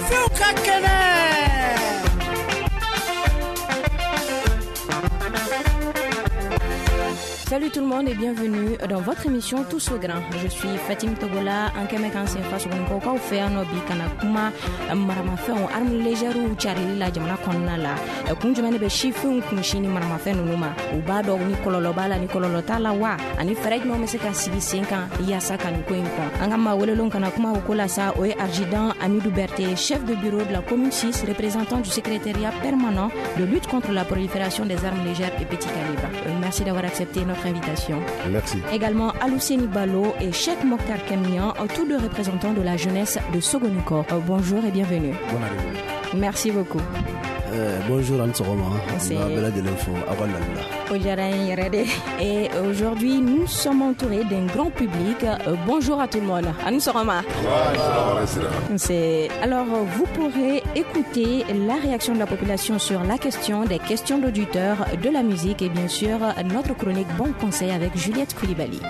Sifinw ka kɛnɛ. Salut tout le monde et bienvenue dans votre émission Tous au grain. Je suis Fatim Togola, an kɛmɛ k'an sen fa Sogonikokaw fɛ yan nɔ bi ka na kuma maramafɛnw, armes légères carili la jamana kɔnɔna la. Kun jumɛn de bɛ sifinw kunsin ni maramafɛn ninnu ma? U b'a dɔn ni kɔlɔlɔ b'a la, ni kɔlɔlɔ t'a la wa? Ani fɛɛrɛ jumɛn bɛ se ka sigi sen kan yaasa ka nin ko in kɔn? An ka maa welelenw kana kuma o ko la sa, o ye Adjudant Amidou Berté, chef de bureau de la commune 6, représentant du secrétariat permanent de lutte contre la prolifération des armes légères et petits calibres. Merci d'avoir accepté notre invitation. Merci. Également Alousseni Balo et Cheikh Mokhtar Kemian, tous deux représentants de la jeunesse de Sogoniko. Bonjour et bienvenue. Bonne arrivée. Merci beaucoup. Bonjour Anne Sogoma. Et aujourd'hui, nous sommes entourés d'un grand public. Bonjour à tout le monde. Anne Sogoma. Alors, vous pourrez écouter la réaction de la population sur la question, des questions d'auditeurs, de la musique et bien sûr notre chronique Bon Conseil avec Juliette Koulibaly.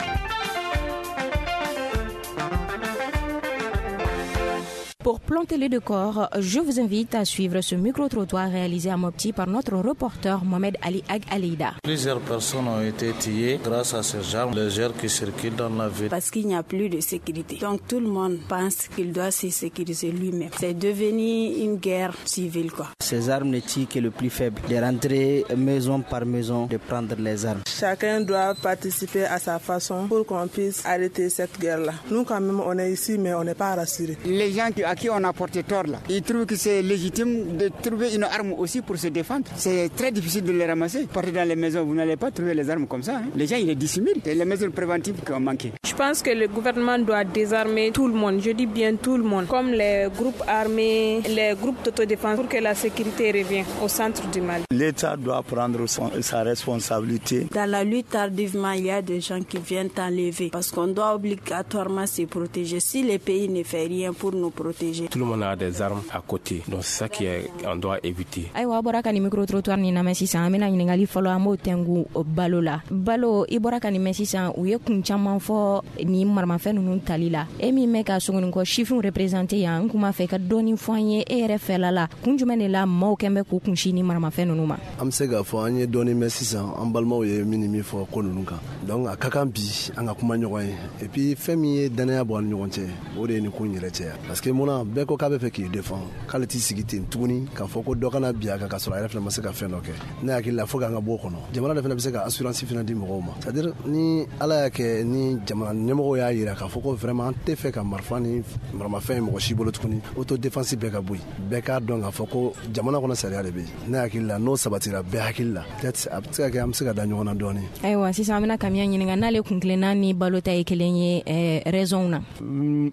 Pour planter le décor, je vous invite à suivre ce micro-trottoir réalisé à Mopti par notre reporter Mohamed Ali Ag Alida. Plusieurs personnes ont été tuées grâce à ces armes légères qui circulent dans la ville. Parce qu'il n'y a plus de sécurité. Donc tout le monde pense qu'il doit se sécuriser lui-même. C'est devenu une guerre civile, quoi. Ces armes ne tuent que le plus faible. De rentrer maison par maison, de prendre les armes. Chacun doit participer à sa façon pour qu'on puisse arrêter cette guerre-là. Nous quand même, on est ici, mais on n'est pas rassurés. Les gens à qui on a porté tort là, ils trouvent que c'est légitime de trouver une arme aussi pour se défendre. C'est très difficile de les ramasser. Partez dans les maisons, vous n'allez pas trouver les armes comme ça. Hein. Les gens, ils les dissimulent. C'est les mesures préventives qui ont manqué. Je pense que le gouvernement doit désarmer tout le monde. Je dis bien tout le monde. Comme les groupes armés, les groupes d'autodéfense pour que la sécurité revienne au centre du Mali. L'État doit prendre sa responsabilité. Dans la lutte, tardivement, il y a des gens qui viennent enlever parce qu'on doit obligatoirement se protéger. Si le pays ne fait rien pour nous protéger. Tout le monde a des armes à côté, donc c'est ça qu'on doit éviter. Ayiwa, aw bɔra ka nin micro-trottoir nin lamɛn sisan, an bɛna ɲininkali fɔlɔ, an b'o tɛngu Balo la. Balo, i bɔra ka nin mɛn sisan, u ye kun caman fɔ nin maramafɛn ninnu tali la. E min bɛ ka Sogonikɔ sifinw représenter yan, n kun b'a fɛ ka dɔɔni fɔ an ye e yɛrɛ fɛla la, kun jumɛn de la maaw kɛn bɛ k'u kunsin ni maramafɛn ninnu ma? An bɛ se k'a fɔ an ye dɔɔni mɛn sisan, an balimaw ye min ni min fɔ ko ninnu kan. Donc a ka kan bi an ka kuma ɲɔgɔn ye. Et puis fɛn min ye danaya bɔ an ni ɲɔgɔn cɛ, o de ye nin ko in yɛrɛ cɛya. Parce que munna bɛɛ ko k'a bɛ fɛ k'i défend, k'ale t'i sigi ten tuguni k'a fɔ ko dɔ kana bin a kan k'a sɔrɔ a yɛrɛ fana ma se ka fɛn dɔ kɛ. Ne hakili la, fo k'an ka bɔ o kɔnɔ. Jamana de fana bɛ se ka assurance fana di mɔgɔw ma. C'est à dire ni Ala y'a kɛ ni jamana ɲɛmɔgɔw y'a yira k'a fɔ ko vraiment an tɛ fɛ ka marifa ni maramafɛn ye mɔgɔ si bolo tuguni, autodéfense bɛɛ ka bɔ yen. Bɛɛ k'a dɔn k'a fɔ ko jamana kɔnɔ sariya de bɛ yen. Ne hakili la, n'o sabatira bɛɛ hakili la, peut-être a bɛ se ka kɛ an bɛ se ka da ɲɔgɔn na dɔɔni. Ayiwa, sisan an bɛna Kamiya ɲininka n'ale kun tilenna ni Balo ta ye kelen ye raison na.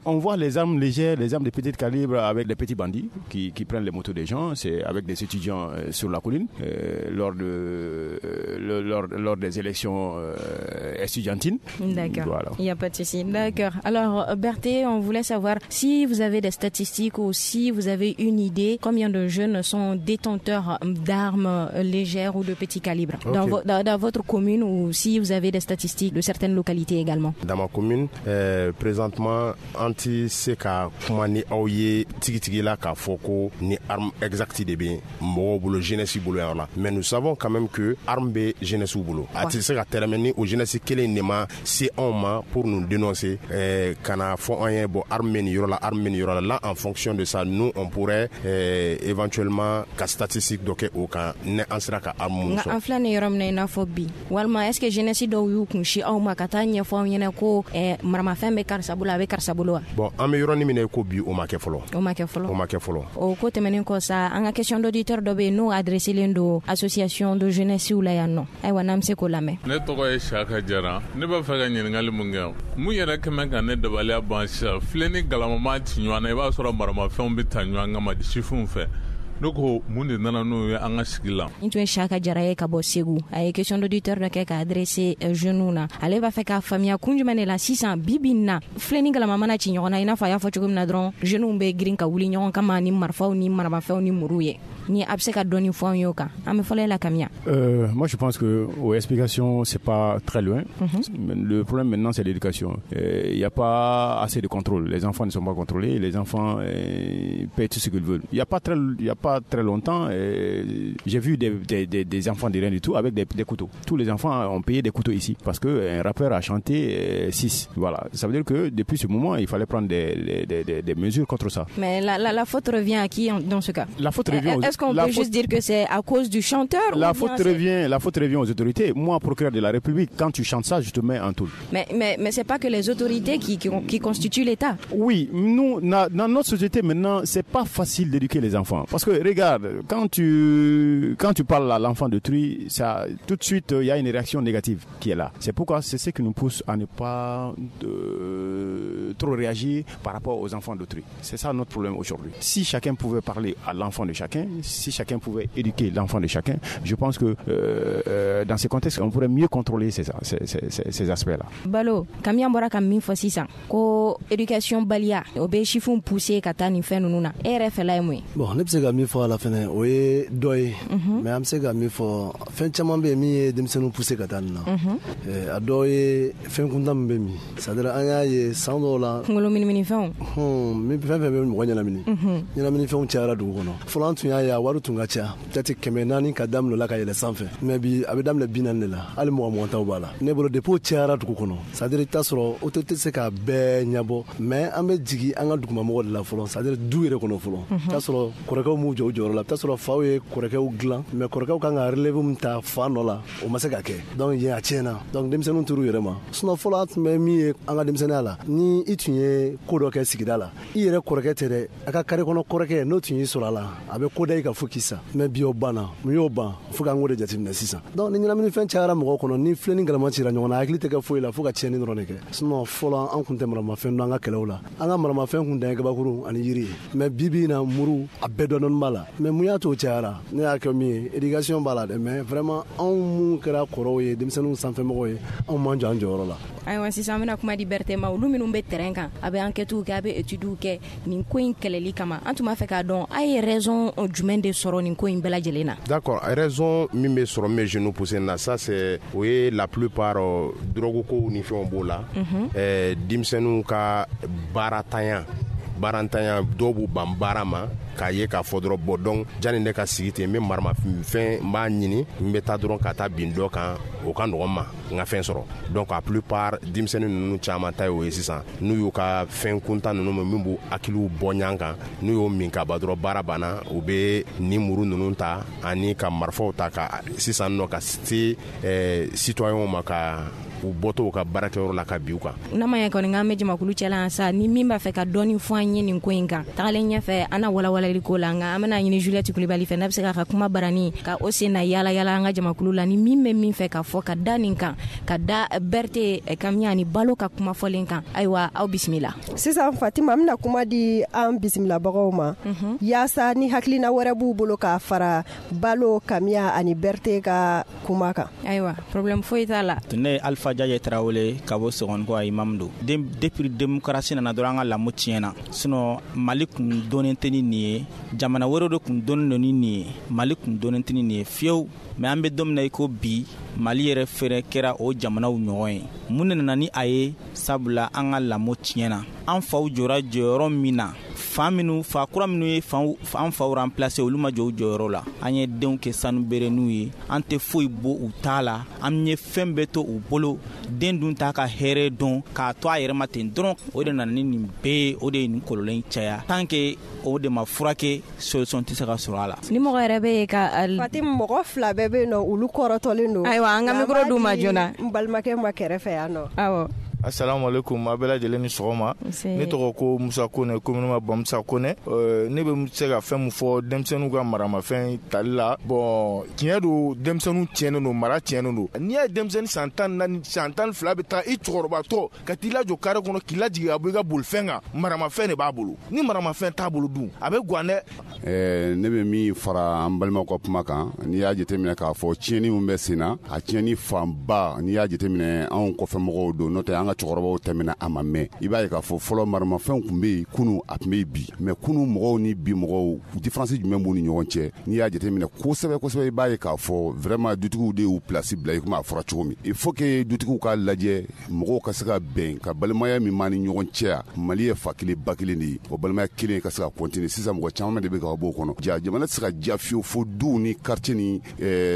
On voit les armes légères, les armes de petit calibre avec les petits bandits qui prennent les motos des gens, c'est avec des étudiants sur la colline lors des élections estudiantines. D'accord. Voilà. Il n'y a pas de souci. D'accord. Alors Berthé, on voulait savoir si vous avez des statistiques ou si vous avez une idée combien de jeunes sont détenteurs d'armes légères ou de petit calibre dans votre commune, ou si vous avez des statistiques de certaines localités également. Dans ma commune, présentement, an tɛ se ka kuma ni aw ye tigitigi la k'a fɔ ko ni arme exacte de bɛ mɔgɔw bolo, jeunesse bolo yan la, mais nous savons quand même que arme bɛ jeunesse bolo. A tɛ se ka tɛrɛmɛ ni o jeunesse kelen de ma se anw ma pour nous dénoncer, ka na fɔ an ye bon, arme bɛ nin yɔrɔ la, arme bɛ nin yɔrɔ la. Là, en fonction de ça, nous, on pourrait éventuellement ka statistique dɔ kɛ o kan ni an sera ka arme minnu Nka sɔrɔ. an filɛ nin yɔrɔ min na i n'a fɔ bi, walima est ce que jeunesse dɔw y'u kun si aw ma ka taa ɲɛfɔ aw ɲɛna ko maramafɛn bɛ karisa bolo, a bɛ karisa bolo wa? Bon, an bɛ yɔrɔnin min na i ko bi, o ma kɛ fɔlɔ. O ma kɛ fɔlɔ. O ma kɛ fɔlɔ. O ko tɛmɛnen kɔ sa, an ka question d'auditeur dɔ bɛ yen n'o adressé len don association de jeunesse la yan nɔ. Ayiwa, n'an bɛ se k'o lamɛn. Ne tɔgɔ ye Saka Jara. Ne b'a fɛ ka ɲininkali mun kɛ, mun yɛrɛ kɛmɛ ka ne dabaliya ban sisan, filen ni galama ci ɲɔgɔn na, i b'a sɔrɔ maramafɛnw bɛ ta ɲɔgɔn kama sifinw fɛ. Ne ko mun de nana n'o ye an ka sigi la? Nin tun ye Saka Jara ye ka bɔ Segu. A ye question d'auditeur dɔ kɛ ka adressé jeunes na. Ale b'a fɛ k'a faamuya kun jumɛn de la sisan bi bi in na, filen ni galama mana ci ɲɔgɔn na, i n'a fɔ a y'a fɔ cogo min na dɔrɔn, jeunes bɛ girin ka wuli ɲɔgɔn kama ni marifaw ni maramafɛnw ni muruw ye. Ni a bɛ se ka dɔɔni fɔ an ye o kan. An bɛ fɔlɔ e la, Kamiya. Moi, je pense que aux explications, c'est pas très loin. Le problème maintenant, c'est l'éducation. Il n'y a pas assez de contrôle. Les enfants ne sont pas contrôlés. Les enfants payent tout ce qu'ils veulent. Il y a pas très longtemps, j'ai vu des enfants de rien du tout avec des couteaux. Tous les enfants ont payé des couteaux ici parce qu'un rappeur a chanté 6. Voilà. Ça veut dire que depuis ce moment, il fallait prendre des mesures contre ça. Mais la faute revient à qui dans ce cas? La faute revient aux Est-ce qu'on peut juste dire que c'est à cause du chanteur? La faute revient aux autorités. Moi, procureur de la République, quand tu chantes ça, je te mets en taule. Mais c'est pas que les autorités qui constituent l'État. Oui, nous, dans notre société maintenant, c'est pas facile d'éduquer les enfants. Parce que regarde, quand tu parles à l'enfant d'autrui, ça, tout de suite, il y a une réaction négative qui est là. C'est pourquoi c'est ce qui nous pousse à ne pas trop réagir par rapport aux enfants d'autrui. C'est ça notre problème aujourd'hui. Si chacun pouvait parler à l'enfant de chacun, si chacun pouvait éduquer l'enfant de chacun, je pense que dans ces contextes, on pourrait mieux contrôler ces aspects-là. Balo, Kamiya bɔra ka min fɔ sisan ko éducation baliya o bɛ sifinw pousser ka taa nin fɛn ninnu na, e yɛrɛ fɛla ye mun ye? Bon, ne bɛ se ka min fɔ a la fɛnɛ, o ye dɔ ye, mais an bɛ se ka min fɔ, fɛn caman bɛ yen min ye denmisɛnninw pousser ka taa nin na. A dɔ ye fɛn kuntan min bɛ min, c'est à dire an y'a ye san dɔw la, kunkolo miniminifɛnw, min fɛn fɛn bɛ mɔgɔ ɲɛnamini, ɲɛnaminifɛnw cayara dugu kɔnɔ. Fɔlɔ, an tun y'a ye a wari tun ka ca, peut-être 400 ka daminɛ o la ka yɛlɛ sanfɛ, mais bi a bɛ daminɛ 40 de la, hali 20 20 taw b'a la. Ne bolo, depuis o cayara dugu kɔnɔ, c'est à dire i t'a sɔrɔ autorité tɛ se k'a bɛɛ ɲɛbɔ, mais an bɛ jigin an ka dugumamɔgɔ de la fɔlɔ, c'est à dire du yɛrɛ kɔnɔ fɔlɔ. I t'a sɔrɔ kɔrɔkɛw m'u jɔ u jɔyɔrɔ la, i bɛ t'a sɔrɔ faw ye kɔrɔkɛw dilan, mais kɔrɔkɛw kan ka relève min ta fa nɔ la, o ma se ka kɛ. Donc yen a tiɲɛna, donc denmisɛnninw tor'u yɛrɛ ma. Sinon fɔlɔ, an tun bɛ min ye an ka denmisɛnninya la, ni i tun ye ko dɔ kɛ sigida la, i yɛrɛ kɔrɔkɛ tɛ dɛ, a ka carré kɔnɔ kɔrɔkɛ n'o tun y'i sɔrɔ a la, a bɛ ko da i kan fo k'i sa. Mais bi o banna. Mun y'o ban? Fo k'an k'o de jateminɛ sisan. Donc ni ɲɛnaminifɛn cayara mɔgɔw kɔnɔ, ni filen ni galama cira ɲɔgɔn na, hakili tɛ kɛ foyi la fo ka tiɲɛni dɔrɔn de kɛ. Sinon fɔlɔ, an kun tɛ maramafɛn dɔn an ka kɛlɛw la. An ka maramafɛn kun dan ye gabakuru ani yiri ye, mais bi bi in na, muru a bɛɛ dɔɔni b'a la. Mais mun y'a to o cayara? Ne y'a kɛ min ye, éducation b'a la dɛ, mais vraiment anw mun kɛra kɔrɔw ye, denmisɛnninw sanfɛmɔgɔw ye, anw m'an jɔ an jɔyɔrɔ la. Ayiwa, sisan an bɛna kuma di Berete ma. Olu minnu bɛ terrain kan, a bɛ enquête kɛ, a bɛ études kɛ nin ko in kɛlɛli kama, an tun b'a fɛ k'a dɔn a ye raison jumɛn de sɔrɔ nin ko in bɛɛ lajɛlen na? D'accord, raison min bɛ sɔrɔ min bɛ jeunes pousser na, ça c'est o ye la plupart drogue kow ni fɛnw b'o la. Denmisɛnninw ka baaratanya, baarantanya, dɔw b'u ban baara ma k'a ye k'a fɔ dɔrɔn, bɔn, donc janni ne ka sigi ten, n bɛ maramafɛn n b'a ɲini, n bɛ taa dɔrɔn ka taa bin dɔ kan, o ka nɔgɔn ma, n ka fɛn sɔrɔ. Donc a plupart denmisɛnnin ninnu caman ta ye o ye sisan. N'u y'u ka fɛn kuntan ninnu min b'u hakiliw bɔ ɲɔgɔn kan, n'u y'o min ka ban dɔrɔn, baara banna, u bɛ ni muru ninnu ta ani ka marifaw ta ka sisan nɔ ka se citoyenw ma, ka u bɔtɔ u ka baarakɛyɔrɔ la ka bin u kan. N'a ma ɲɛ kɔni k'an bɛ jamakulu cɛla yan sa, ni min b'a fɛ ka dɔɔni fɔ an ye nin ko in kan, tagalen ɲɛfɛ an na walawalali ko la. Nka an bɛna ɲini Juliette Kulibali fɛ, n'a bɛ se k'a ka kuma barani ka o sen na yala yala an ka jamakulu la, ni min bɛ min fɛ ka fɔ ka da nin kan, ka da Berete, Kamiya ani Balo ka kuma fɔlen kan. Ayiwa, aw bisimila. Sisan Fatima, an bɛna kuma di an bisimilabagaw ma, yaasa ni hakilina wɛrɛ b'u bolo k'a fara Balo, Kamiya ani Berete ka kuma kan. Ayiwa, problème foyi t'a la. Ne ye Alpha Jaje Tarawele ka bɔ Sɔgɔniko, imam don. Depuis démocratie nana dɔrɔn, an ka lamɔ tiɲɛna. Sinon Mali kun dɔnnen tɛ ni nin ye, jamana wɛrɛw de kun dɔnnen don ni nin ye, Mali kun dɔnnen tɛ ni nin ye fiyewu. Mais an bɛ don min na i ko bi, Mali yɛrɛ fɛnɛ kɛra o jamanaw ɲɔgɔn ye. Mun de nana ni a ye? Sabula an ka lamɔ tiɲɛna. An faw jɔra jɔyɔrɔ min na, fa minnu, fa kura minnu ye an faw remplacer, olu ma jɔ u jɔyɔrɔ la. An ye denw kɛ sanu bereninw ye, an tɛ foyi bɔ u ta la, an ye fɛn bɛɛ to u bolo. Den dun t'a ka hɛrɛ dɔn, k'a to a yɛrɛ ma ten dɔrɔn. O de nana ni nin bɛɛ ye, o de ye nin kɔlɔlɔ in caya. Tant que o de ma furakɛ, solution tɛ se ka sɔrɔ a la. Ni mɔgɔ yɛrɛ bɛ yen ka Fatim, mɔgɔ fila bɛɛ bɛ yen nɔ, olu kɔrɔtɔlen don. Ayiwa, an ka micro d'u ma joona. N balimakɛ ma kɛrɛfɛ yan nɔ. Awɔ. Assalamu alaikum, a bɛɛ lajɛlen ni sɔgɔma. Ne tɔgɔ ko Musa Kone, communément Bamusa Kone. Ne bɛ se ka fɛn min fɔ denmisɛnninw ka maramafɛn tali la, bon, tiɲɛ don, denmisɛnninw tiɲɛnen don, mara tiɲɛnen don. N'i y'a ye denmisɛnnin san 14, san 12 bɛ taa i cɛkɔrɔbatɔ ka t'i lajɔ carré kɔnɔ k'i lajigin ka bɔ i ka bolifɛn kan, maramafɛn de b'a bolo. Ni maramafɛn t'a bolo dun, a bɛ guwan dɛ. Ne bɛ min fara an balimaw ka kuma kan, n'i y'a jateminɛ k'a fɔ tiɲɛni min bɛ sen na, a tiɲɛni fanba, n'i y'a jateminɛ, anw kɔfɛmɔgɔw don, n'o tɛ an ka An ka cɛkɔrɔbaw tɛmɛna, a ma mɛn. I b'a ye k'a fɔ fɔlɔ maramafɛnw tun bɛ yen, kunu a tun bɛ yen bi, mais kunu mɔgɔw ni bi mɔgɔw, différence jumɛn b'u ni ɲɔgɔn cɛ? N'i y'a jateminɛ kosɛbɛ kosɛbɛ, i b'a ye k'a fɔ vraiment dutigiw de y'u place bila i komi a fɔra cogo min. Il faut que dutigiw k'a lajɛ, mɔgɔw ka se ka bɛn ka balimaya min b'an ni ɲɔgɔn cɛ yan. Mali ye fa kelen ba kelen de ye, o balimaya kelen ka se ka continuer. Sisan mɔgɔ caman de bɛ ka bɔ o kɔnɔ. Ja jamana tɛ se ka diya fiyewu fo duw ni quartier ni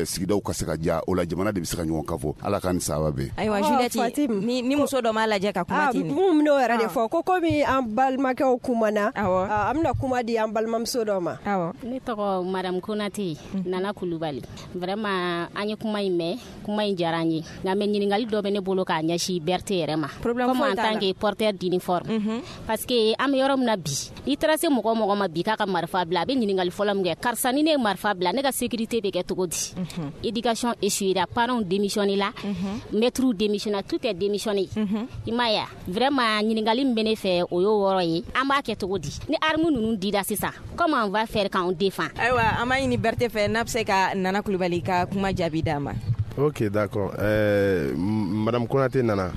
sigidaw ka se ka diya. O la jamana de bɛ se ka ɲɔgɔn kan fɔ. Ala k'an ni sahaba bɛn. Ayiwa Juliette, ni muso dɔ m'a lajɛ ka kuma ten. Mun n'o yɛrɛ de fɔ ko komi an balimakɛw kumana, an bɛna kuma di an balimamuso dɔ ma. Ne tɔgɔ Madame Konate Nana Kulubali. Vraiment an ye kuma in mɛn, kuma in diyara an ye, nka mais ɲininkali dɔ bɛ ne bolo k'a ɲɛsin Berthe yɛrɛ ma. Comme en tant que porteur d'uniforme, parce que an bɛ yɔrɔ min na bi, n'i taara se mɔgɔ o mɔgɔ ma bi k'a ka marifa bila, a bɛ ɲininkali fɔlɔ min kɛ: karisa, ni ne ye marifa bila, ne ka sécurité bɛ kɛ cogo di? Éducation échoué la, parents démissionné la, maîtres démissionné, tout est démissionné. I m'a ye? Vraiment ɲininkali min bɛ ne fɛ, o y'o yɔrɔ ye. An b'a kɛ cogo di ni arme ninnu dira sisan? Comment on va faire quand on défend? Ayiwa, an b'a ɲini Berthe fɛ n'a bɛ se ka Nana Kulubali ka kuma jaabi d'a ma. Ok, d'accord. Madame Konate Nana,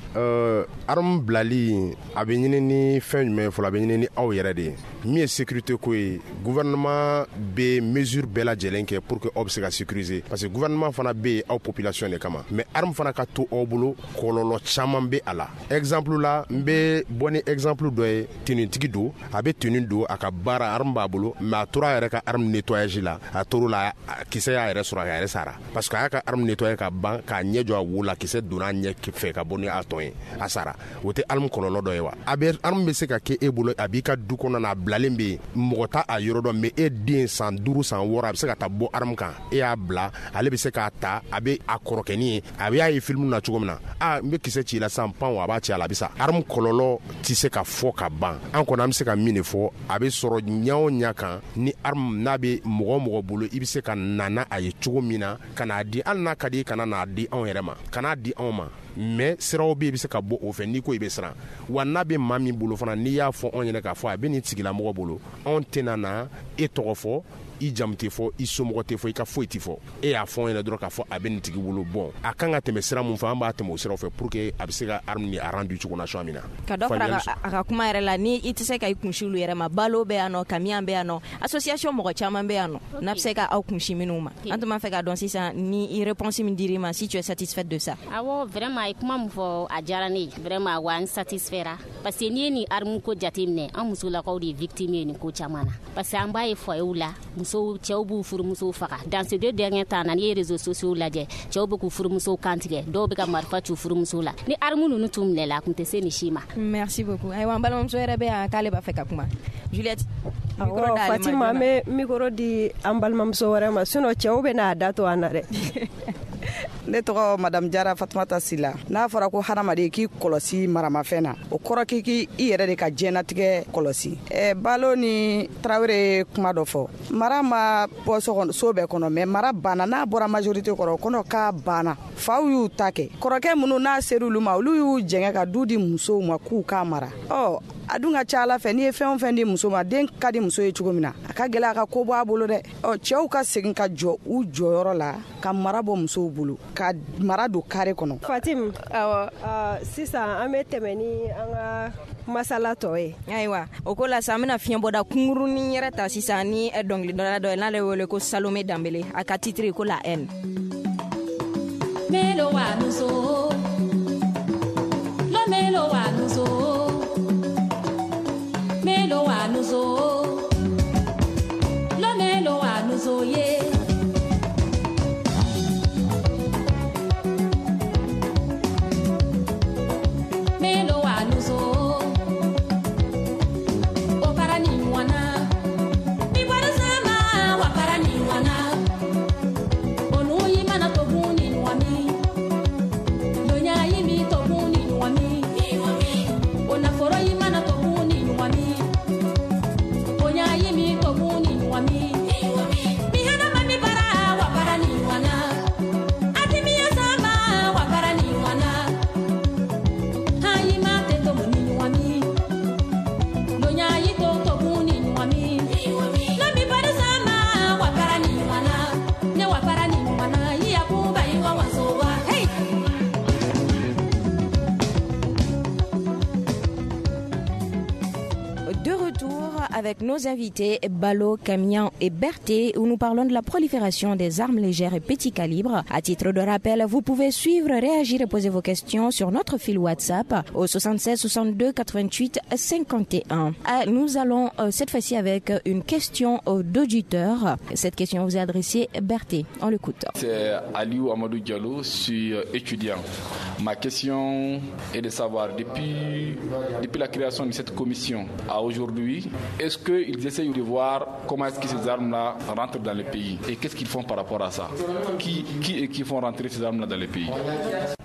arme bilali a bɛ ɲini ni fɛn jumɛn ye fɔlɔ? A bɛ ɲini ni aw yɛrɛ de ye. Min ye sécurité ko ye, gouvernement bɛ mesure bɛɛ lajɛlen kɛ pour que aw bɛ se ka sécuriser, parce que gouvernement fana bɛ yen aw population de kama. Mais arme fana ka to aw bolo, kɔlɔlɔ caman bɛ a la. Exemple la, n bɛ bɔ ni exemple dɔ ye: tenue don, a bɛ tenue don, a ka baara arme b'a bolo, mais a tora a yɛrɛ ka arme nettoyage la, a tor'o la, kisɛ y'a yɛrɛ sɔrɔ, a yɛrɛ sara, parce que a y'a ka arme nettoyer ka ban k'a ɲɛ jɔ a wo la, kisɛ donna a ɲɛ fɛ ka bɔ ni a tɔn ye, a sara. O tɛ arme kɔlɔlɔ dɔ ye wa? A bɛ arme bɛ se ka kɛ e bolo, a b'i ka du kɔnɔ na, a bilalen bɛ yen, mɔgɔ t'a a yɔrɔ dɔn, mais e den san 5, san 6, a bɛ se ka taa bɔ arme kan, e y'a bila, ale bɛ se k'a ta, a bɛ a kɔrɔkɛnin ye, a bɛ y'a ye film na cogo min na, a n bɛ kisɛ ci i la sisan, pan, a b'a ci a la, a bɛ sa. Arme kɔlɔlɔ tɛ se ka fɔ ka ban. An kɔni an bɛ se ka min de fɔ, a bɛ sɔrɔ ɲɛ o ɲɛ kan, ni arme n'a bɛ mɔgɔ o mɔgɔ bolo, i bɛ se ka na n'a ye cogo min na ka n'a di, hali n'a ka di i kana n'a di anw yɛrɛ ma, kana di anw ma, mais siraw bɛ yen, i bɛ se ka bɔ o fɛ n'i ko i bɛ siran wa. N'a bɛ maa min bolo fana, n'i y'a fɔ anw ɲɛna k'a fɔ a bɛ nin tigilamɔgɔ bolo, anw tɛna na e tɔgɔ fɔ, i jamu tɛ fɔ, i somɔgɔ tɛ fɔ, i ka foyi tɛ fɔ. E y'a fɔ an ɲɛna dɔrɔn k'a fɔ a bɛ nin tigi bolo. Bon, a kan ka tɛmɛ sira mun fɛ, an b'a tɛmɛ o siraw fɛ pour que a bɛ se ka arme ni a rendu cogo na cogoya min na. Ka dɔ fara a ka kuma yɛrɛ la, ni i tɛ se ka i kunsi olu yɛrɛ ma, balo bɛ yan nɔ, kamiyan bɛ yan nɔ, association mɔgɔ caman bɛ yan nɔ n'a bɛ se ka aw kunsi minnu ma. An tun b'a fɛ k'a dɔn sisan ni réponse min dir'i ma, si tu es satisfaite de ça. Awɔ, vraiment a ye kuma min fɔ, a diyara ne ye vraiment, wa n satisfaira, parce que n'i ye nin arme ko jateminɛ, an musolakaw de ye victime ye nin ko caman na, parce que an b'a ye foyer la, musow, cɛw b'u furumusow faga. Dans ces 2 derniers temps na, n'i ye réseaux sociaux lajɛ, cɛw bɛ k'u furumusow kantigɛ, dɔw bɛ ka marifa ci u furumusow la. Ni arme ninnu tun minɛla, a tun tɛ se nin si ma. Merci beaucoup. Ayiwa, an balimamuso yɛrɛ bɛ yan k'ale b'a fɛ ka kuma. Juliette. Awɔ Fatima, an bɛ micro di an balimamuso wɛrɛ ma, sinon cɛw bɛ n'a da to an na dɛ. Ne tɔgɔ Madame Jara Fatumata Sila. N'a fɔra ko hadamaden k'i kɔlɔsi maramafɛn na, o kɔrɔ k'i k'i yɛrɛ de ka diɲɛnatigɛ kɔlɔsi. Balo ni Tarawele ye kuma dɔ fɔ, mara ma bɔ so bɛɛ kɔnɔ, mais mara banna. N'a bɔra majorité kɔrɔ, o kɔnɔ k'a banna. Faw y'u ta kɛ, kɔrɔkɛ minnu n'a ser'olu ma, olu y'u jɛngɛ ka du di musow ma k'u k'a mara. Ɔ a dun ka ca Ala fɛ, n'i ye fɛn o fɛn di muso ma, den ka di muso ye cogo min na, a ka gɛlɛn a ka ko bɔ a bolo dɛ. Ɔ cɛw ka segin ka jɔ u jɔyɔrɔ la, ka mara bɔ musow bolo, ka mara don carré kɔnɔ. Fatim, awɔ, sisan an bɛ tɛmɛ ni an ka masala tɔ ye. Ayiwa, o ko la sa, an bɛna fiɲɛbɔda kunkurunin yɛrɛ ta sisan ni dɔnkilidala dɔ ye n'ale wele ko Salome Danbele, a ka titre ko La haine. Melo wa nuso, lo melo wa nuso, melo wa nuso, lo melo wa nuso ye. Melo wa nuso, o para ni wana, mi para sama wa para ni wana, onu yi mana to buni wami, donya yi mi to buni wami, ona foro yi mana to buni wami, onya yi mi to buni wami, mi hana. De retour avec nos invités Balo, Kamian et Berthé, où nous parlons de la prolifération des armes légères et petits calibres. À titre de rappel, vous pouvez suivre, réagir et poser vos questions sur notre fil WhatsApp au 76 62 88 51. Nous allons cette fois-ci avec une question d'auditeur. Cette question vous est adressée, Berthé. On l'écoute. C'est Aliou Amadou Diallo, je suis étudiant. Ma question est de savoir, depuis la création de cette commission à aujourd'hui, est-ce qu'ils essayent de voir comment est-ce que ces armes-là rentrent dans le pays et qu'est-ce qu'ils font par rapport à ça? Qui et qui font rentrer ces armes-là dans le pays?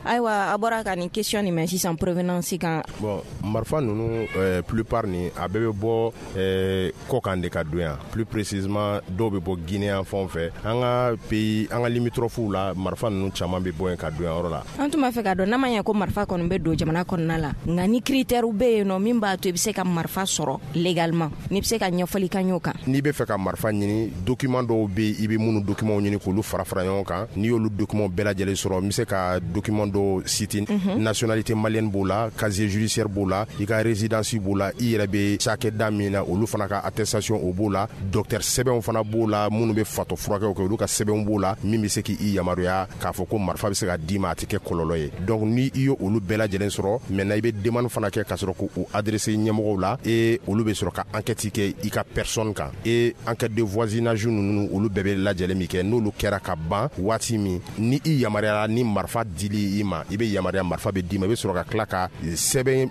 Ayiwa, a bɔra ka nin question nin mɛn sisan, provenance kan. Bon, marifa ninnu plupart ni a bɛɛ bɛ bɔ kɔkan de ka don yan. Plus précisément, dɔw bɛ bɔ Guinée yan fan fɛ, an ka pays, an ka limitrophes la, marifa ninnu caman bɛ bɔ yen ka don yan yɔrɔ la. An tun b'a fɛ k'a dɔn, n'a ma ɲɛ ko marifa kɔni bɛ don jamana kɔnɔna la, nka ni critère bɛ yen nɔ min b'a to i bɛ se ka marifa sɔrɔ légalement, n'i bɛ se ka ɲɛfɔli k'an y'o kan. N'i bɛ fɛ ka marifa ɲini, document dɔw bɛ yen, i bɛ minnu document ɲini k'olu fara fara ɲɔgɔn kan. N'i y'olu document bɛɛ lajɛlen sɔrɔ, n bɛ se ka document dɔw citer. Nationalité malienne b'o la, casier judiciaire b'o la, i ka résidence b'o la, i yɛrɛ bɛ cakɛda min na, olu fana ka attestation o b'o la, docteur sɛbɛnw fana b'o la, minnu bɛ fatɔ furakɛw kɛ, olu ka sɛbɛnw b'o la, min bɛ se k'i yamaruya k'a fɔ ko marifa bɛ se ka d'i ma, a tɛ kɛ kɔlɔlɔ ye. Donc ni i ye olu bɛɛ lajɛlen sɔrɔ, maintenant i bɛ demande fana kɛ ka sɔrɔ k'o adresser ɲɛmɔgɔw la, et olu bɛ sɔrɔ ka enquête kɛ i ka personne kan, et enquête de voisinage ninnu, olu bɛɛ bɛ lajɛlen min kɛ, n'olu kɛra ka ban waati min, ni i yamaruyara ni marifa dili i ma, i bɛ yamaruya, marifa bɛ d'i ma, i bɛ sɔrɔ ka tila ka sɛbɛn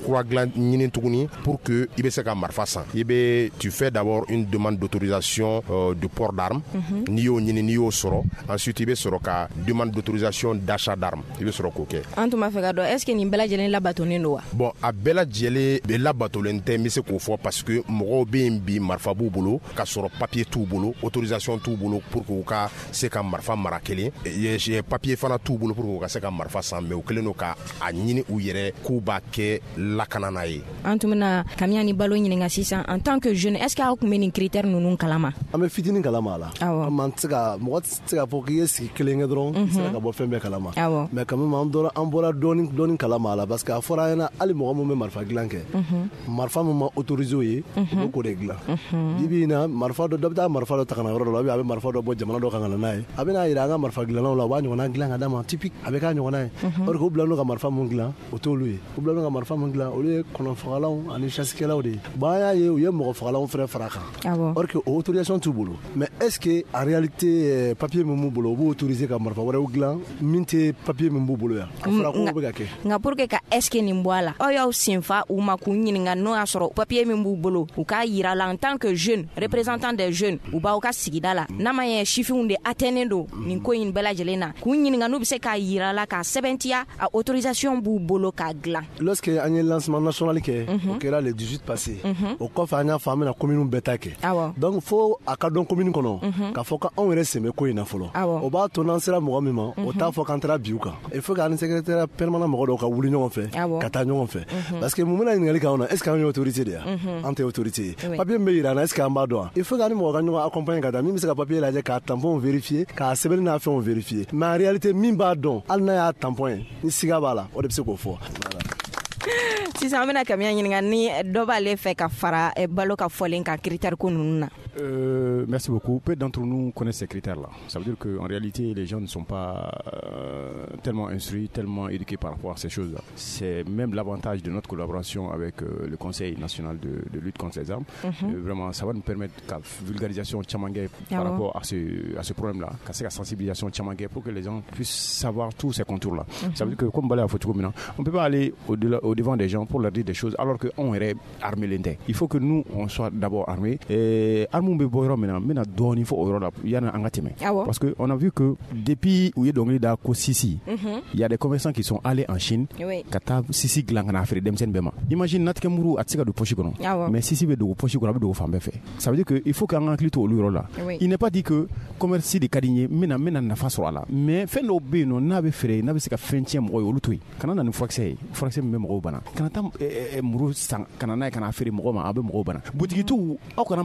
kura dilan ɲini tuguni pour que i bɛ se ka marifa san. I bɛ, tu fais d'abord une demande d'autorisation de port d'armes. N'i y'o ɲini, n'i y'o sɔrɔ, ensuite i bɛ sɔrɔ ka demande d'autorisation d'achat d'armes, i bɛ sɔrɔ k'o kɛ. An tun b'a fɛ ka dɔn, est ce que nin bɛɛ lajɛlen labatonnen don wa? Bon, a bɛɛ lajɛlen bɛ labatolen tɛ, n bɛ se k'o fɔ, parce que mɔgɔw bɛ yen bi, marifa b'u bolo k'a sɔrɔ papier t'u bolo, autorisation t'u bolo pour que u ka se ka marifa mara kelen, papier fana t'u bolo pour que u ka se ka marifa san, mais u kɛlen don ka a ɲini u yɛrɛ k'u b'a kɛ lakana n'a ye. An tun bɛna Kamiya ni Balo ɲininka sisan, en tant que jeune, est ce que aw tun bɛ nin critère ninnu kalama? An bɛ fitinin kalama a la. Awɔ. An tɛ se ka, mɔgɔ tɛ se k'a fɔ k'i ye sigi kelen kɛ dɔrɔn, i sera ka bɔ fɛn bɛɛ kalama. Awɔ. Mais quand même, an bɔra dɔɔni dɔɔni kalama a la, parce que a fɔra an ɲɛna, hali mɔgɔ min bɛ marifa dilan kɛ, marifa min ma autorisé o ye, u bɛ k'o de dilan. Bi bi in na, marifa dɔ bɛ taa marifa dɔ ta ka na yɔrɔ dɔ la, a bɛ marifa dɔ bɔ jamana dɔ kan ka na n'a ye, a bɛ n'a yira an ka marifa dilannaw la, u b'a ɲɔgɔnna dilan ka d'a ma, typique, a bɛ k'a ɲɔgɔnna ye. Or que u bilalen don ka marifa mun dilan, o t'olu ye. U bilalen don ka marifa mun dilan, olu ye kɔnɔfagalanw ani chasse-kɛlaw de ye. Bon, an y'a ye, u ye mɔgɔ fagalanw fɛnɛ fara a kan. Or que o autorisation t'u bolo. Mais est ce que en réalité, papier min b'u bolo, u b'u autoriser ka marifa wɛrɛw dilan min tɛ papier min b'u bolo yan? A fɔra ko bɛ ka kɛ. Nka pour que ka est ce que nin bɔ a la, aw y'aw senfa u ma k'u ɲininka n'o y'a sɔrɔ papier min b'u bolo, u k'a yira la en tant que jeune représentant des jeunes, u b'aw ka sigida la, n'a ma ɲɛ sifinw de atteindre don nin ko in bɛɛ lajɛlen na, k'u ɲininka n'u bɛ se k'a yira la k'a sɛbɛntiya a autorisation b'u bolo k'a dilan. Lorsque an ye lancement national kɛ, o kɛra le 18 passé, o kɔfɛ an y'a fɔ an bɛna commune bɛɛ ta kɛ. Donc fo a ka dɔn commune kɔnɔ k'a fɔ k'anw yɛrɛ sen bɛ ko in na fɔlɔ. O b'a to n'an sera mɔgɔ min ma, o t'a fɔ k'an taara bi u kan. Il faut qu'an ni secrétaire permanent mɔgɔ dɔw ka wuli ɲɔgɔn fɛ, ka taa ɲɔgɔn fɛ, parce que mun bɛna ɲininkali k'anw na, est ce que anw ye autorité de ye? An tɛ autorité ye. Papier min bɛ yira an na, est ce que an b'a dɔn wa? Il faut qu'an ni mɔgɔ ka ɲɔgɔn accompagner ka taa, min bɛ se ka papier lajɛ, k'a tampon vérifier, k'a sɛbɛnni n'a fɛnw vérifier. Mais en réalité, min b'a dɔn, hali n'a y'a tampon ye, ni siga b'a la, o de bɛ se k'o fɔ. Sisan an bɛna Kamiya ɲininka ni dɔ b'ale fɛ ka fara Balo ka fɔlen kan critère ko ninnu na. Merci beaucoup. Peu d'entre nous connaissent ces critères-là. Ça veut dire qu'en réalité, les gens ne sont pas tellement instruits, tellement éduqués par rapport à ces choses-là. C'est même l'avantage de notre collaboration avec le Conseil national de lutte contre les armes. Vraiment, ça va nous permettre la vulgarisation caman kɛ par rapport à ce problème-là, ka la sensibilisation caman kɛ pour que les gens puissent savoir tous ces contours-là. Ça veut dire que, comme Bala a fɔ cogo min na, on ne peut pas aller au devant des gens pour leur dire des choses alors qu'on est armé. Il faut que nous, on soit d'abord armés. Et armes bɛ bɔ yɔrɔ min na, n bɛna dɔɔnin fɔ o yɔrɔ la yanni an ka tɛmɛ. Parce que on a vu que depuis u ye dɔnkili da ko sisi, il y a des commerçants qui sont allés en Chine ka taa sisi dilan ka n'a feere denmisɛnnin bɛɛ ma. Imagine, natigɛ muru a tɛ se ka don poche kɔnɔ, mais sisi bɛ dogo poche kɔnɔ, a bɛ dogo fan bɛɛ fɛ. Ça veut dire que il faut qu'an ka hakili to olu yɔrɔ la. Il n'est pas dit que commerce de ka di n ye, n bɛna nafa sɔrɔ a la, mais fɛn dɔw bɛ yen nɔ, n'a bɛ feere, n'a bɛ se ka fɛn tiɲɛ mɔgɔ ye, olu to yen. Kana na ni furakisɛ ye, furakisɛ min bɛ mɔgɔw bana. Kana taa muru san ka na n'a ye ka n'a feere mɔgɔ ma, a bɛ mɔgɔw bana. Butigitigiw, aw kana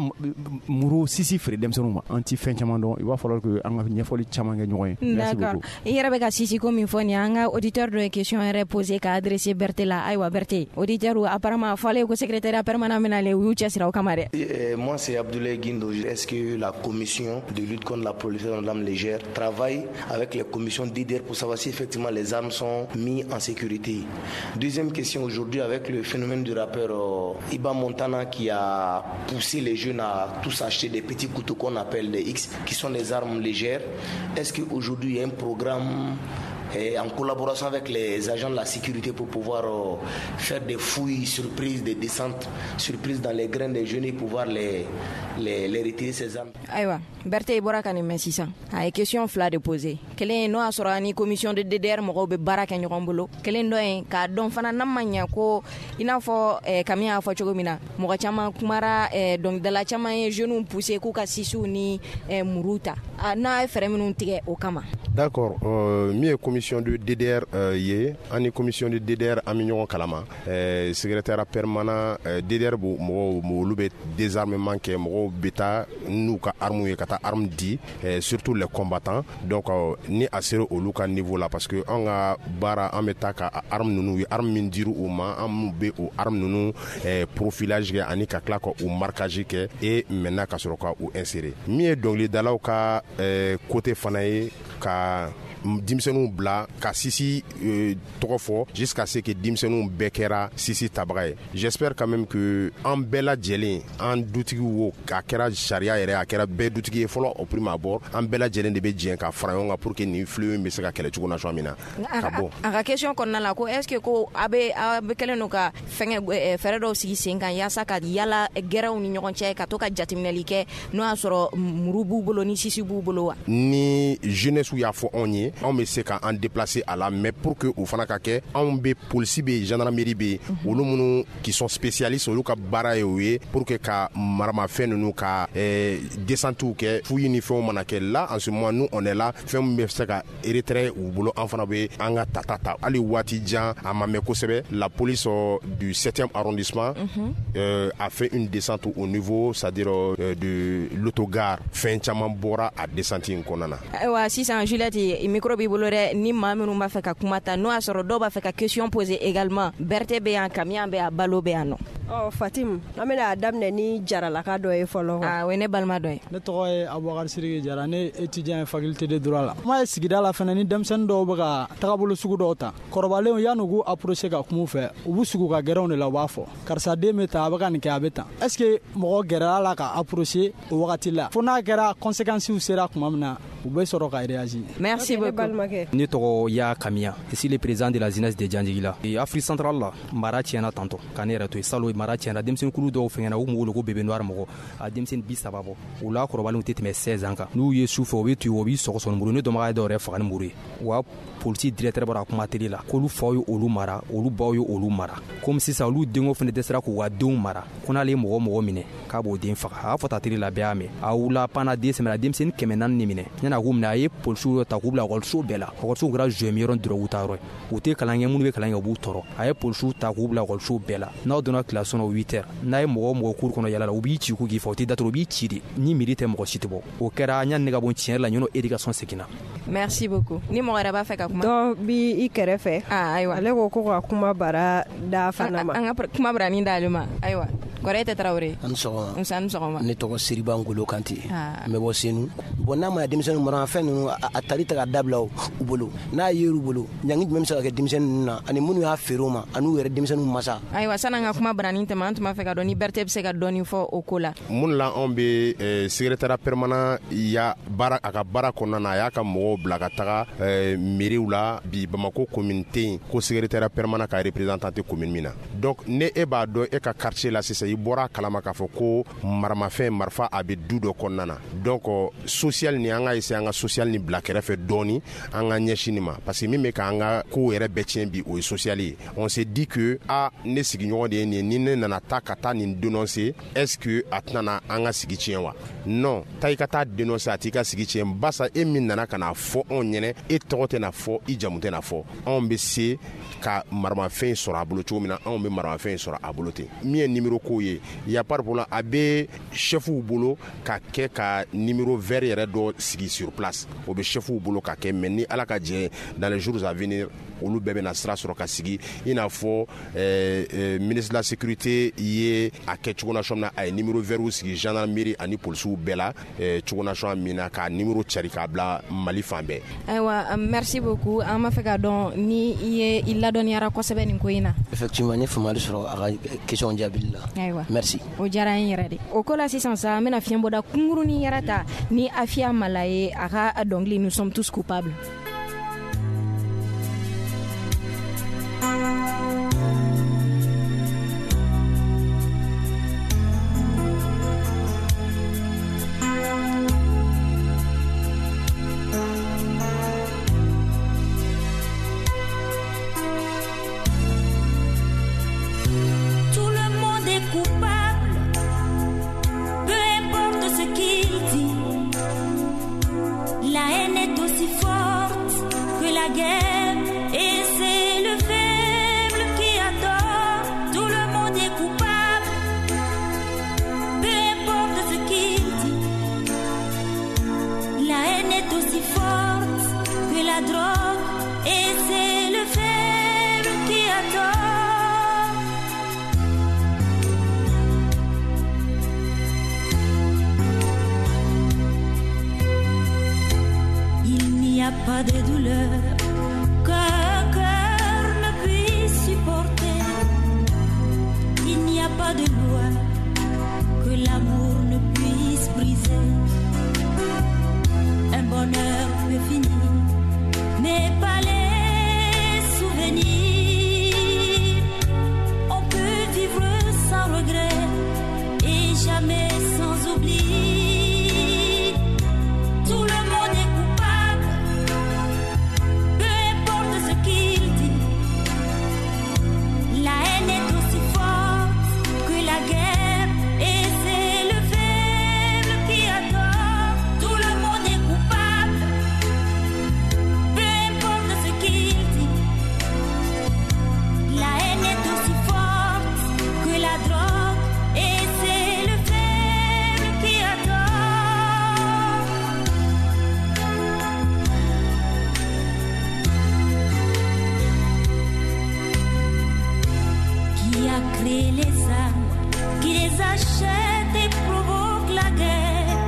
muru sisi feere denmisɛnninw ma. An ti fɛn caman dɔn, il va falloir que an ka ɲɛfɔli caman kɛ ɲɔgɔn ye. Merci beaucoup. I yɛrɛ bɛ ka sisi ko min fɔ nin, an ka auditeur dɔ ye question yɛrɛ posé ka adressé Berthé la. Ayiwa Berthé, auditeur apparemment a fɔlen ko secrétariat permanent bɛna le, u y'u cɛsiri o kama dɛ. Moi c'est Abdoulaye Guindo. Est-ce que la commission de lutte contre la prolifération de l'arme légère travaille avec les commissions DDR pour savoir si effectivement les armes sont mises en sécurité? Deuxième question, aujourd'hui avec le phénomène du rappeur Iba Montana qui a poussé les jeunes à tous acheter des petits couteaux qu'on appelle des X, qui sont des armes légères, est-ce qu'aujourd'hui il y a un programme en collaboration avec les agents de la sécurité pour pouvoir faire des fouilles surprises, des descentes surprises dans les grains des jeunes et pouvoir les retirer ces armes? Ayiwa Berthé, i bɔra ka nin mɛn sisan, a ye question fila de posé. Kelen n'o y'a sɔrɔ ani commission de DDR mɔgɔw bɛ baara kɛ ɲɔgɔn bolo, kelen dɔ ye k'a dɔn fana n'a ma ɲɛ ko i n'a fɔ Kami y'a fɔ cogo min na, mɔgɔ caman kumara, dɔnkilidala caman ye jeunes poussé k'u ka sisiw ni muru ta, n'a ye fɛɛrɛ minnu tigɛ o kama. D'accord, min ye commission de DDR ye, an ni commission de DDR an bɛ ɲɔgɔn kalama. Secrétaire permanent DDR mɔgɔw, olu bɛ désarmement kɛ, mɔgɔw bɛ taa n'u ka armes ye ka taa armes di, surtout les combattants. Donc ni a sera olu ka niveau la, parce que an ka baara, an bɛ taa ka armes ninnu ye, armes min dir'u u ma, an bɛ o armes ninnu profilage kɛ ani ka tila ka o marquage kɛ et maintenant ka sɔrɔ ka u insérer. Min ye dɔnkilidalaw ka côté fana ye, ka denmisɛnninw bila ka sisi tɔgɔ fɔ jusqu'à ce que denmisɛnninw bɛɛ kɛra sisi tabaga ye. J'espère quand même que an bɛɛ lajɛlen, an dutigiw wo, a kɛra sariya yɛrɛ, a kɛra bɛɛ dutigi ye fɔlɔ au prime abord, an bɛɛ lajɛlen de bɛ jɛn ka fara ɲɔgɔn kan pour que nin fléau in bɛ se ka kɛlɛ cogo na min na ka bɔ. A ka question kɔnɔna la ko est-ce que ko a bɛ kɛlen don ka fɛngɛ fɛɛrɛ dɔw sigi sen kan yaasa ka yala gɛrɛw ni ɲɔgɔn cɛ, ka to ka jateminɛli kɛ n'o y'a sɔrɔ muru b'u bolo ni sisi b'u bolo wa? Ni jeunesse y'a fɔ anw ye, anw bɛ se k'an déplacer a la, mais pour que o fana ka kɛ, anw bɛ polisi bɛ yen, gendarmerie bɛ yen, olu minnu qui sont spécialistes, olu ka baara ye o ye pour que ka maramafɛn ninnu ka descentes kɛ, fouilles ni fɛnw mana kɛ. Là en ce moment nous on est là, fɛn min bɛ se ka retrait u bolo, an fana bɛ an ka tata ta. Hali waati jan a ma mɛn kosɛbɛ, la police du 7e arrondissement a fait une descente au niveau, c'est-à-dire de l'autogare, fɛn caman bɔra a descente in kɔnɔna na. Ayiwa sisan Juliette, micro b'i bolo dɛ, ni maa minnu b'a fɛ ka kuma ta, n'o y'a sɔrɔ dɔw b'a fɛ ka question poser également, Berthé bɛ yan, Kamiya bɛ yan, Balo bɛ yan nɔ. Ɔ Fatim, an bɛna a daminɛ ni jaralaka dɔ ye fɔlɔ. Ah, o ye ne balima dɔ ye. Ne tɔgɔ ye Abubakar Siriki Jara, ne étudiant ye faculté de droit la. Kuma ye sigida la fana, ni denmisɛnnin dɔw bɛ ka tagabolo sugu dɔw ta, kɔrɔbalenw yan'u k'u approcher ka kuma u fɛ, u b'u sigi u ka gɛrɛnw de la, u b'a fɔ karisa den bɛ tan, a bɛ ka nin kɛ, a bɛ tan. Est-ce que mɔgɔ gɛrɛla la ka approcher o wagati la, fo n'a kɛra conséquences sera tuma min na, u bɛ sɔrɔ ka réagir. Merci beaucoup. Ne tɔgɔ Ya Kamiya, je suis le président de la jeunesse de Janjigila. Afrique centrale la, mara tiɲɛna tantɔ, ka ne yɛrɛ to yen salon, mara tiɲɛna, denmisɛnninkulu dɔw fɛngɛna, u kun wele ko bébé noir mɔgɔ, a denmisɛnnin 30 bɔ, o la kɔrɔbalenw tɛ tɛmɛ 16 ans kan. N'u ye su fɛ, u bɛ tugu, u b'i sɔgɔsɔgɔ ni muru, ne dɔnbaga ye dɔw yɛrɛ faga ni muru ye. Wa polisi directeur bɔra kuma télé la k'olu faw ye olu mara, olu baw ye olu mara, komi sisan olu denko fana dɛsɛra k'u ka denw mara, ko n'ale ye mɔgɔ minɛ k'a b'o den faga. A y'a fɔ ta télé la, bɛɛ y'a mɛn. A wula panna den sɛmɛna, denmisɛnnin 400 de minɛ, yan'a k'u minɛ, a ye polisiw dɔ ta k'u bila ekɔliso bɛɛ la. Ekɔlisow kɛra jɔyɔrɔ dɔrɔgu ta yɔrɔ ye, u tɛ kalan kɛ, minnu bɛ kalan kɛ u b'u tɔɔrɔ. A ye polisiw ta k'u bila ekɔliso bɛɛ la. N'aw donna kilasi kɔnɔ 8 heures, n'a ye mɔgɔ cour kɔnɔ yala la, u b'i ci k'u k'i fa, u t'i datugu, u b'i ci de, ni miiri tɛ mɔgɔ si tɛ bɔ. O kɛra yanni ne ka bɔ tiɲɛ yɛrɛ la, ɲɔnɔ éducation seginna. Merci beaucoup. Ni mɔgɔ wɛrɛ b'a fɛ ka kuma, dɔ bi i kɛrɛfɛ. Ayiwa, ale ko ka kuma bara da fana ma. An ka kuma bara ni d'ale ma. Ayiwa, kɔrɔ e tɛ Tarawele. An sɔgɔma. Nse, an sɔgɔma. Ne tɔgɔ Siriba Ngolo Kante. N bɛ bɔ Senu. Bon, n'a ma denmisɛnninw mara fɛn ninnu, a tali ta ka dabila u bolo, n'a yer'u bolo, ɲangi jumɛn bɛ se ka kɛ denmisɛnnin ninnu na, ani minnu y'a feere u ma, ani u yɛrɛ denmisɛnninw masa. Ayiwa, san'an ka kuma bara ni tɛmɛ, an tun b'a fɛ ka dɔn ni Berthé bɛ se ka dɔɔni fɔ o ko la. Mun la anw bɛ secrétariat permanent ya baara, a ka baara kɔnɔna na, a y'a ka mɔgɔw bila ka taga mairie la. Bi Bamako commune tɛ yen ko secrétariat permanent ka représentant tɛ commune min na. Donc ne e b'a dɔn e ka quartier la sisan, i I bɔra kalama k'a fɔ ko maramafɛn, marifa, a bɛ du dɔ kɔnɔna na. Donc social ni, an ka essayer an ka social ni bila kɛrɛfɛ dɔɔni, an ka ɲɛsin nin ma, parce que min bɛ k'an ka kow yɛrɛ bɛɛ tiɲɛ bi, o ye social ye. On s'est dit que ah, ne sigiɲɔgɔn de ye nin ye, ni ne nana taa ka taa nin dénoncer, est-ce que a tɛna na an ka sigi tiɲɛ wa? Non, taa i ka taa dénoncer, a t'i ka sigi tiɲɛ. Basa e min nana ka na fɔ anw ɲɛnɛ, e tɔgɔ tɛna fɔ, i jamu tɛna fɔ. Anw bɛ se ka maramafɛn sɔrɔ a bolo cogo min na, anw bɛ maramafɛn sɔrɔ a bolo ten. Min ye numéro ko ye, y a pas de problème, a bɛ chefw bolo ka kɛ ka numéro vert yɛrɛ dɔ sigi sur place, o bɛ chefw bolo ka kɛ. Mais ni Ala ka jɛ, dans les jours à venir, olu bɛɛ bɛna sira sɔrɔ ka sigi, i n'a fɔ ministre de la sécurité ye a kɛ cogo nation min na, a ye numéro vert sigi gendarmerie ani polisiw bɛɛ la cogo nation min na, k'a numéro cari k'a bila Mali fan bɛɛ. Ayiwa, merci beaucoup. An b'a fɛ k'a dɔn ni i ye i ladɔnniyara kosɛbɛ nin ko in na. Effectivement, n ye faamuyali sɔrɔ a ka question jaabili la. Ayiwa, merci. O diyara n yɛrɛ de. O ko la sisan sa, an bɛna fiɲɛbɔda kunkurunin yɛrɛ ta ni Afiya Mala ye, a ka dɔnkili Nous sommes tous coupables. Tout le monde est coupable, peu importe ce qu'il dit. La haine est aussi forte que la guerre, et c'est le faible qui a tort. Tout le monde est coupable, peu importe ce qu'il dit. La haine est aussi forte que la drogue, et c'est le faible qui a tort. Il n'y a pas de douleur qu'un cœur ne puisse supporter. Il n'y a pas de loi que l'amour ne puisse briser. Un bonheur peut finir, mais pas les souvenirs. On peut vivre sans regret et jamais sans oubli. Tout le monde est coupable, peu importe ce qu'il dit. La haine est aussi forte que la guerre, et c'est le faible qui a tort. Tout le monde est coupable, peu importe ce qu'il dit. La haine est aussi forte que la drogue, et c'est le faible qui a tort. Qui a créé les armes, qui les achète et provoque la guerre.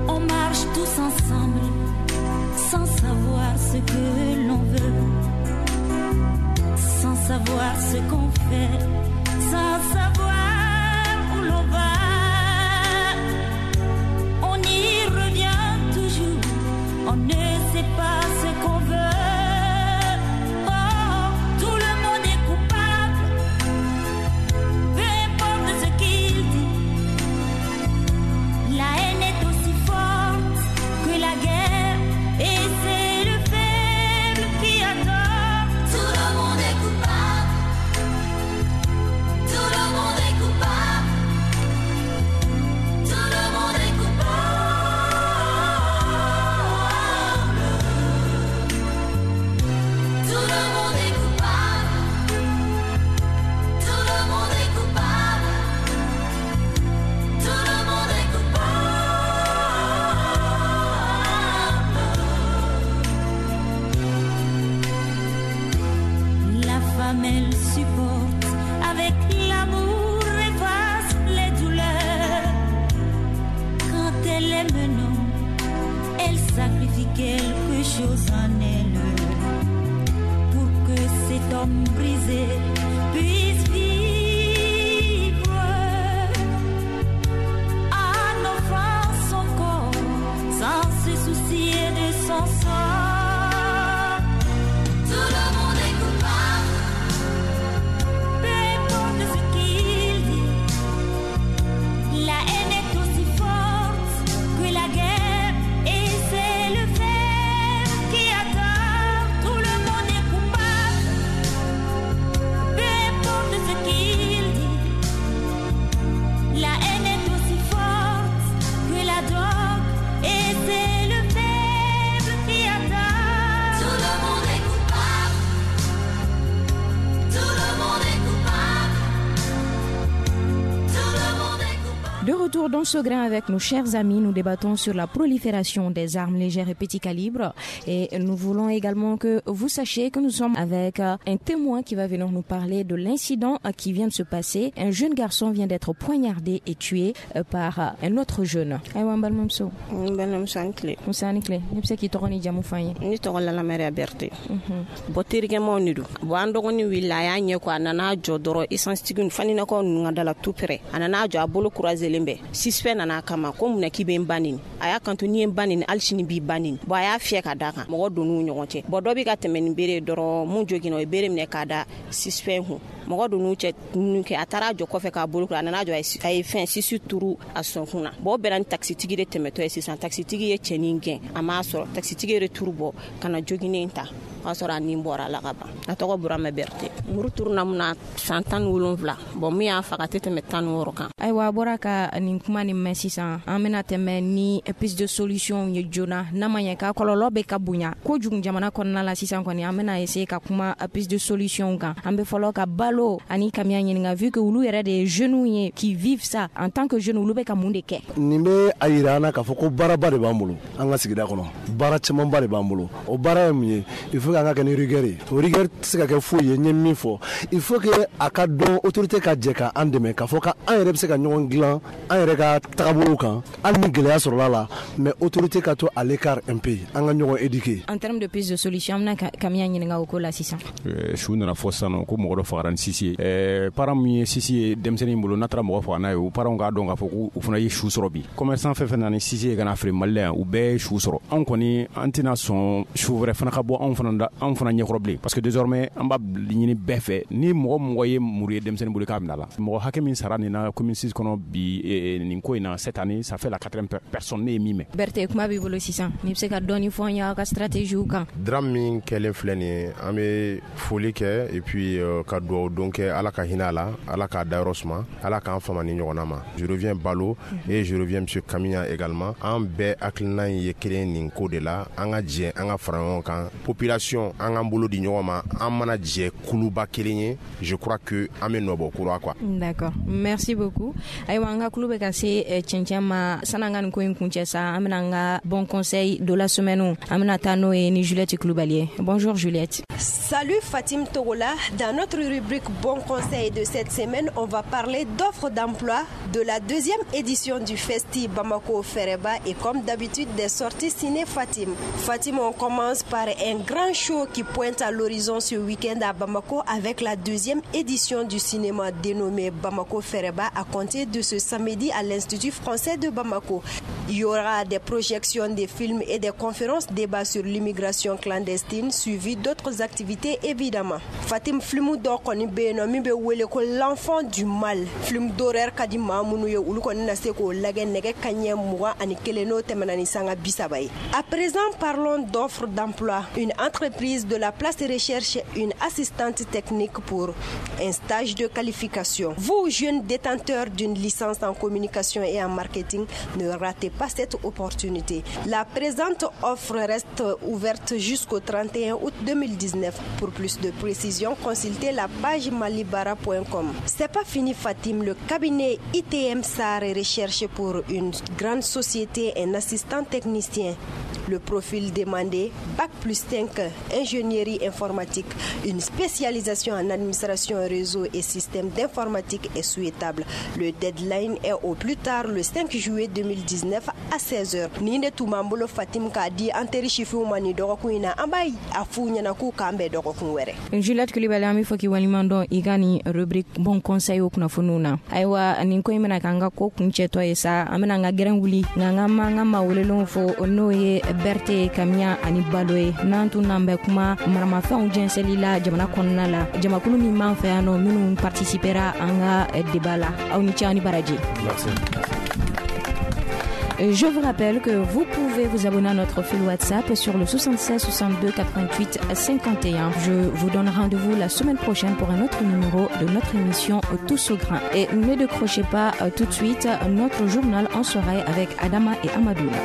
On marche tous ensemble, sans savoir ce que l'on veut, sans savoir ce qu'on fait, sans savoir où l'on va. On y revient toujours, on ne sait pas ce qu'on veut. Oh, tout le monde est coupable, peu importe ce qu'il dit. La haine est aussi forte que la guerre, et c'est le faible qui a tort. Tout le monde est coupable, tout le monde est coupable, tout le monde est coupable. Tout le monde est coupable, tout le monde est coupable, tout le monde est coupable. La femme, elle supporte avec l'amour, efface les douleurs. Quand elle aime un homme, elle sacrifie quelque chose en elle pour que cet homme brisé puisse vivre en offrant son corps sans se soucier de son sort. Tout le monde est coupable, peu importe ce qu'il dit. De retour dans ce grain avec nos chers amis, nous débattons sur la prolifération des armes légères et petits calibres. Et nous voulons également que vous sachiez que nous sommes avec un témoin qui va venir nous parler de l'incident qui vient de se passer. Un jeune garçon vient d'être poignardé et tué par un autre jeune. Ayiwa, n balimamuso. N balimamuso, a ni tile. Nse, a ni tile. Ne bɛ se k'i tɔgɔ ni jamu fɔ an ye? Ne tɔgɔ Lalamɛriya Berete. Bon, terikɛmaw de don. Bon, an dɔgɔnin wulila, a y'a ɲɛ ko a nana jɔ dɔrɔn essence tigi faninakaw ninnu ka da la tout près. A nana jɔ, a bolo croisé bɛɛ. Suspect nana a kama ko munna k'i bɛ n ba neni? A y'a kanto n'i ye n ba neni, hali sini b'i ba neni. Bon, a y'a fiyɛ ka da kan, mɔgɔ donn'u ɲɔgɔn cɛ. Bon, dɔ bɛ ka tɛmɛ ni bere dɔrɔn, mun joginna, o ye bere minɛ k'a da suspect kun. Mɔgɔ donn'u cɛ ninnu kɛ, a taara jɔ kɔfɛ k'a bolo, a nana jɔ, a ye fɛn sisi turu a sɔnkun na. Bon, o bɛnna ni taxitigi de tɛmɛtɔ ye sisan. Taxitigi ye cɛnin gɛn, a m'a sɔrɔ. Taxitigi yɛrɛ turu bɔ ka na joginen ta, o y'a sɔrɔ a nin bɔra a la ka ban. A tɔgɔ Burama Berete. Muru turuna mun na, san 17. Bon, min y'a faga, a tɛ tɛmɛ 16 kan. Ayiwa, a bɔra ka nin kuma nin mɛn sisan, an bɛna tɛmɛ ni piste de solution ye joona. N'a ma ɲɛ k'a kɔlɔlɔ bɛ ka bonya kojugu jamana kɔnɔna la sisan kɔni, an bɛna essayer ka kuma piste de solution kan. An bɛ fɔlɔ ka Balo ani Kamiya ɲininka, vu que olu yɛrɛ de ye jeunes ye qui vivent ça en tant que jeunes, olu bɛ ka mun de kɛ? Nin bɛ a yira an na k'a fɔ ko baaraba de b'an bolo an ka sigida kɔnɔ, baara camanba de b'an bolo. O baara ye mun ye? Il faut k'an ka kɛ ni rigueur ye. O rigueur tɛ se ka kɛ foyi ye, n ye min fɔ, il faut que a ka dɔn, autorité ka jɛ ka an dɛmɛ k'a fɔ k'an yɛrɛ bɛ se ka ɲɔgɔn dilan an yɛrɛ ka tagabolow kan, hali ni gɛlɛya sɔrɔla la, mais autorité ka to à l'écart un peu, an ka ɲɔgɔn éduquer. En termes de piste de solution, an bɛna Kamiya ɲininka o ko la sisan. Su nana fɔ sisan nɔ ko mɔgɔ dɔ fagara ni sisi ye. Parent min ye sisi ye denmisɛnnin bolo, n'a taara mɔgɔ faga n'a ye, o parents k'a dɔn k'a fɔ k'u fana ye su sɔrɔ bi. Commerçant fɛn fɛn nana ni sisi ye ka na feere Mali la yan, u bɛɛ ye su sɔrɔ. Anw kɔni, an tɛna sɔn su wɛrɛ fana ka bɔ anw fana da, anw fana ɲɛkɔrɔ bilen, parce que désormais an b'a ɲini bɛɛ fɛ, ni mɔgɔ mɔgɔ ye muru ye denmisɛnnin bolo, k'a minɛ a la. Mɔgɔ hakɛ min sara nin na commune 6 kɔnɔ bi nin ko in na cette année, ça fait la quatrième personne ne ye min mɛn. Berete, kuma b'i bolo sisan, n'i bɛ se ka dɔɔni fɔ an ye aw ka stratégie kan. Drame min kɛlen filɛ nin ye, an bɛ foli kɛ et puis ka dugawu don kɛ, Ala ka hinɛ a la, Ala k'a dayɔrɔ suma, Ala k'an fama ni ɲɔgɔnna ma. Je reviens Balo et je reviens monsieur Kamiya également. An bɛɛ hakilina ye kelen nin ko de la. An ka jɛ, an ka fara ɲɔgɔn kan, population, an k'an bolo di ɲɔgɔn ma, an mana jɛ kuluba kelen ye, je crois que an bɛ nɔbɔ kura quoi. D'accord, merci beaucoup. Ayiwa, an ka kulu bɛ ka se cɛncɛn ma. San'an ka nin ko in kuncɛ sa, an bɛna an ka bon conseil de la semaine, an bɛna taa n'o ye ni Juliette Coulibaly ye. Bonjour Juliette. Salut Fatim Togola. Dans notre rubrique Bon conseil de cette semaine, on va parler d'offres d'emploi, de la deuxième édition du Festi Bamako Fereba et comme d'habitude des sorties ciné Fatim. Fatim, on commence par un grand show qui pointe à l'horizon ce week-end à Bamako avec la deuxième édition du cinéma dénommé Bamako Fereba à compter de ce samedi à l'Institut français de Bamako. Il y aura des projections des films et des conférences débats sur l'immigration clandestine suivies d'autres activités évidemment. Fatim, film dɔ kɔni bɛ yen nɔ min bɛ wele ko L'enfant du mal. Film d'horreur ka di maa minnu ye, olu kɔni na se k'o lajɛ nɛgɛ kaɲɛ 21 n'o tɛmɛna ni sanga 30 ye. À présent, parlons d'offres d'emploi. Une entreprise de la place recherche une assistante technique pour un stage de qualification. Vous, jeunes détenteurs d'une licence en communication et en marketing, ne ratez pas cette opportunité. La présente offre reste ouverte jusqu'au 31 août 2019. Pour plus de précisions, consultez la page malibara.com. C'est pas fini Fatim, le cabinet ITM SAR recherche pour une grande société un assistant technicien. Le profil demandé, bac plus 5, ingénierie informatique, une spécialisation en administration réseau et système d'informatique est souhaitable. Le deadline est au plus tard le 5 juillet 2019 à 16h. Nin de tun b'an bolo Fatim k'a di an teri sifinw ma nin dɔgɔkun in na. An b'a a f'u ɲɛna k'u k'an bɛn dɔgɔkun wɛrɛ. Juliette Coulibaly, an bɛ fɔ k'i waleɲuman dɔn i ka nin rubrique bon conseil o kunnafoniw na. Ayiwa, nin ko in bɛna k'an ka ko kuncɛtɔ ye sa, an bɛna an ka gɛrɛn wuli, nka an ka ma an ka maa welelenw fo, n'o ye Berete, Kamiya ani Balo ye. N'an tun n'an bɛ kuma maramafɛnw jɛnsɛnli la jamana kɔnɔna la, jamakulu min b'an fɛ yan nɔ minnu participera an ka débat la, aw ni ce, aw ni baraji. Merci. Je vous rappelle que vous pouvez vous abonner à notre fil WhatsApp sur le 76 62 88 51. Je vous donne rendez-vous la semaine prochaine pour un autre numéro de notre émission Tous au grain. Et ne décrochez pas tout de suite notre journal en soirée avec Adama et Amadoula.